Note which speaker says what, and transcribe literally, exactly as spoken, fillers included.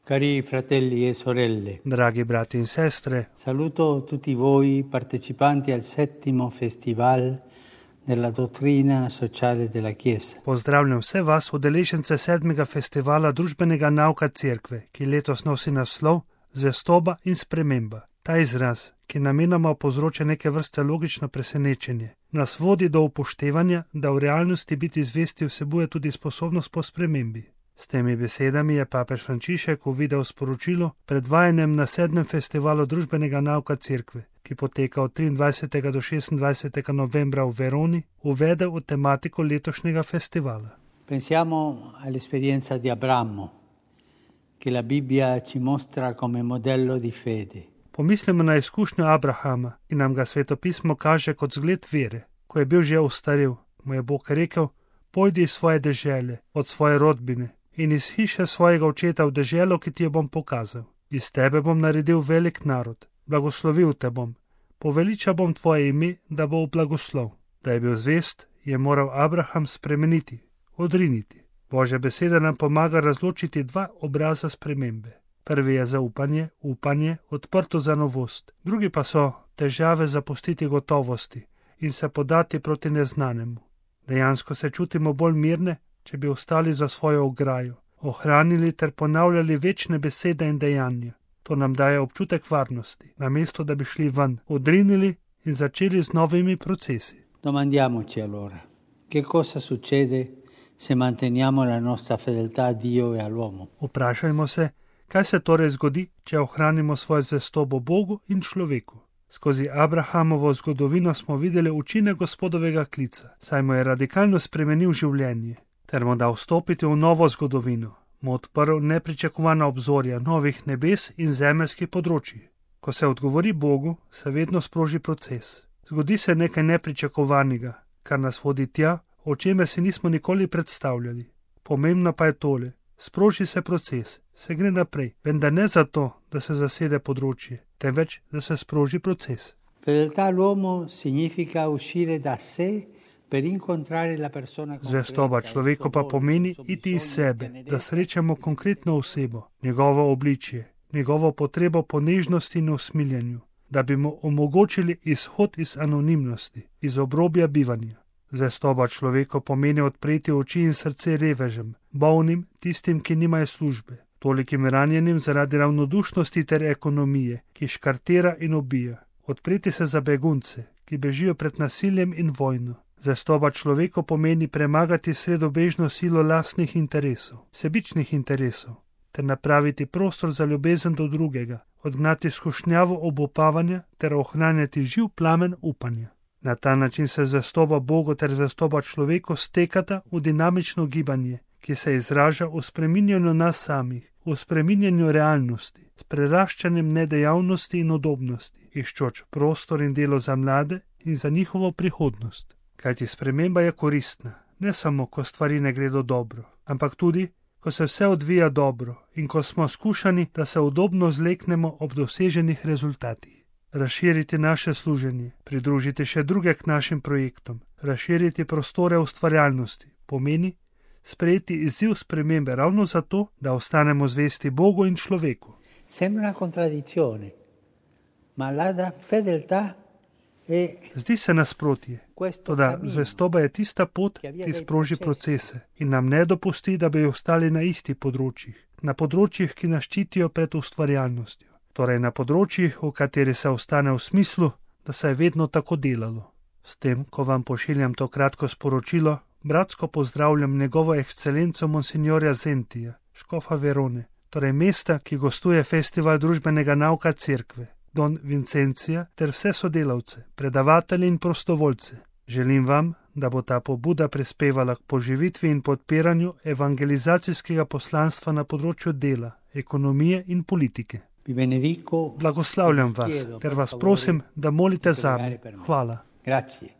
Speaker 1: Cari fratelli e sorelle,
Speaker 2: Dragi brati in sestre,
Speaker 1: saluto tutti voi partecipanti al settimo festival della dottrina sociale della Chiesa.
Speaker 2: pozdravljam vse vas, udeležence sedmega festivala družbenega nauka Cerkve, ki letos nosi naslov Zvestoba in sprememba. Ta izraz, ki namenoma povzroča neke vrste logično presenečenje, nas vodi do upoštevanja, da v realnosti biti zvesti vsebuje tudi sposobnost po spremembi. S temi besedami je papež Frančišek v videosporočilu predvajanjem na sedmem festivalu družbenega nauka Cerkve, ki poteka od triindvajsetega do šestindvajsetega novembra v Veroni, uvedel v tematiko letošnjega festivala.
Speaker 1: Pensiamo all'esperienza di Abramo, che la Bibbia ci mostra come modello di fede.
Speaker 2: Pomislimo na izkušnjo Abrahama, ki nam ga svetopismo kaže kot zgled vere. Ko je bil že ostarel, mu je Bog rekel: pojdi iz svoje dežele, od svoje rodbine in iz hiše svojega očeta v deželo, ki ti jo bom pokazal. Iz tebe bom naredil velik narod, blagoslovil te bom, poveličal bom tvoje ime, da bo v blagoslov. Da je bil zvest, je moral Abraham spremeniti, odriniti. Božja beseda nam pomaga razločiti dva obraza spremembe. Prvi je zaupanje, upanje, odprto za novost. Drugi pa so težave zapustiti gotovosti in se podati proti neznanemu. Dejansko se čutimo bolj mirne, če bi ostali za svojo ograjo, ohranili ter ponavljali večne besede in dejanja. To nam daje občutek varnosti, namesto da bi šli ven, odrinili in začeli z novimi procesi.
Speaker 1: Domandiamoci allora, che cosa succede se manteniamo la nostra fedeltà a Dio e all'uomo?
Speaker 2: Vprašajmo se, kaj se torej zgodi, če ohranimo svojo zvestobo Bogu in človeku. Skozi Abrahamovo zgodovino smo videli učinek Gospodovega klica, saj mu je radikalno spremenil življenje, ter mu dal vstopiti v novo zgodovino, mu odprl nepričakovana obzorja novih nebes in zemeljskih področij. Ko se odgovori Bogu, se vedno sproži proces. Zgodi se nekaj nepričakovanega, kar nas vodi tja, o čemer si nismo nikoli predstavljali. Pomembno pa je tole: sproži se proces, se gre naprej, vendar ne zato, da se zasede področje, temveč, da se sproži proces.
Speaker 1: Fedeltà all'uomo significa uscire da sé per incontrare la persona concreta.
Speaker 2: Zvestoba človeku pa pomeni iti iz sebe, da srečamo konkretno osebo, njegovo obličje, njegovo potrebo po nežnosti in usmiljenju, da bi mu omogočili izhod iz anonimnosti, iz obrobja bivanja. Zvestoba človeku pomeni odpreti oči in srce revežem, bolnim, tistim, ki nimajo službe, tolikim ranjenim zaradi ravnodušnosti ter ekonomije, ki škartera in ubija. Odpreti se za begunce, ki bežijo pred nasiljem in vojno. Zvestoba človeku pomeni premagati sredobežno silo lastnih interesov, sebičnih interesov, ter napraviti prostor za ljubezen do drugega, odgnati skušnjavo obupavanja ter ohranjati živ plamen upanja. Na ta način se zvestoba Bogu ter zvestoba človeku stekata v dinamično gibanje, ki se izraža v spreminjanju nas samih, v spreminjanju realnosti, s preraščanjem nedejavnosti in udobnosti, iščoč prostor in delo za mlade in za njihovo prihodnost. Kajti sprememba je koristna, ne samo, ko stvari ne gredo dobro, ampak tudi, ko se vse odvija dobro in ko smo skušani, da se udobno zleknemo ob doseženih rezultatih. Razširiti naše služenje, pridružiti še druge k našim projektom, razširiti prostore ustvarjalnosti, pomeni sprejeti izziv spremembe ravno zato, da ostanemo zvesti Bogu in človeku.
Speaker 1: Sembra una contraddizione, ma la fedeltà è...
Speaker 2: Zdi se nasprotje, toda zvestoba je tista pot, ki sproži procese in nam ne dopusti, da bi ostali na istih področjih, na področjih, ki nas ščitijo pred ustvarjalnostjo. Torej na področjih, v kateri se ostane v smislu, da se je vedno tako delalo. S tem, ko vam pošiljam to kratko sporočilo, bratsko pozdravljam njegovo ekscelenco monsignorja Zentija, škofa Verone, torej mesta, ki gostuje festival družbenega nauka Cerkve, don Vincencija ter vse sodelavce, predavatelje in prostovoljce. Želim vam, da bo ta pobuda prispevala k poživitvi in podpiranju evangelizacijskega poslanstva na področju dela, ekonomije in politike. Blagoslavljam vas ter vas prosim, da molite zame. Hvala.
Speaker 1: Grazie.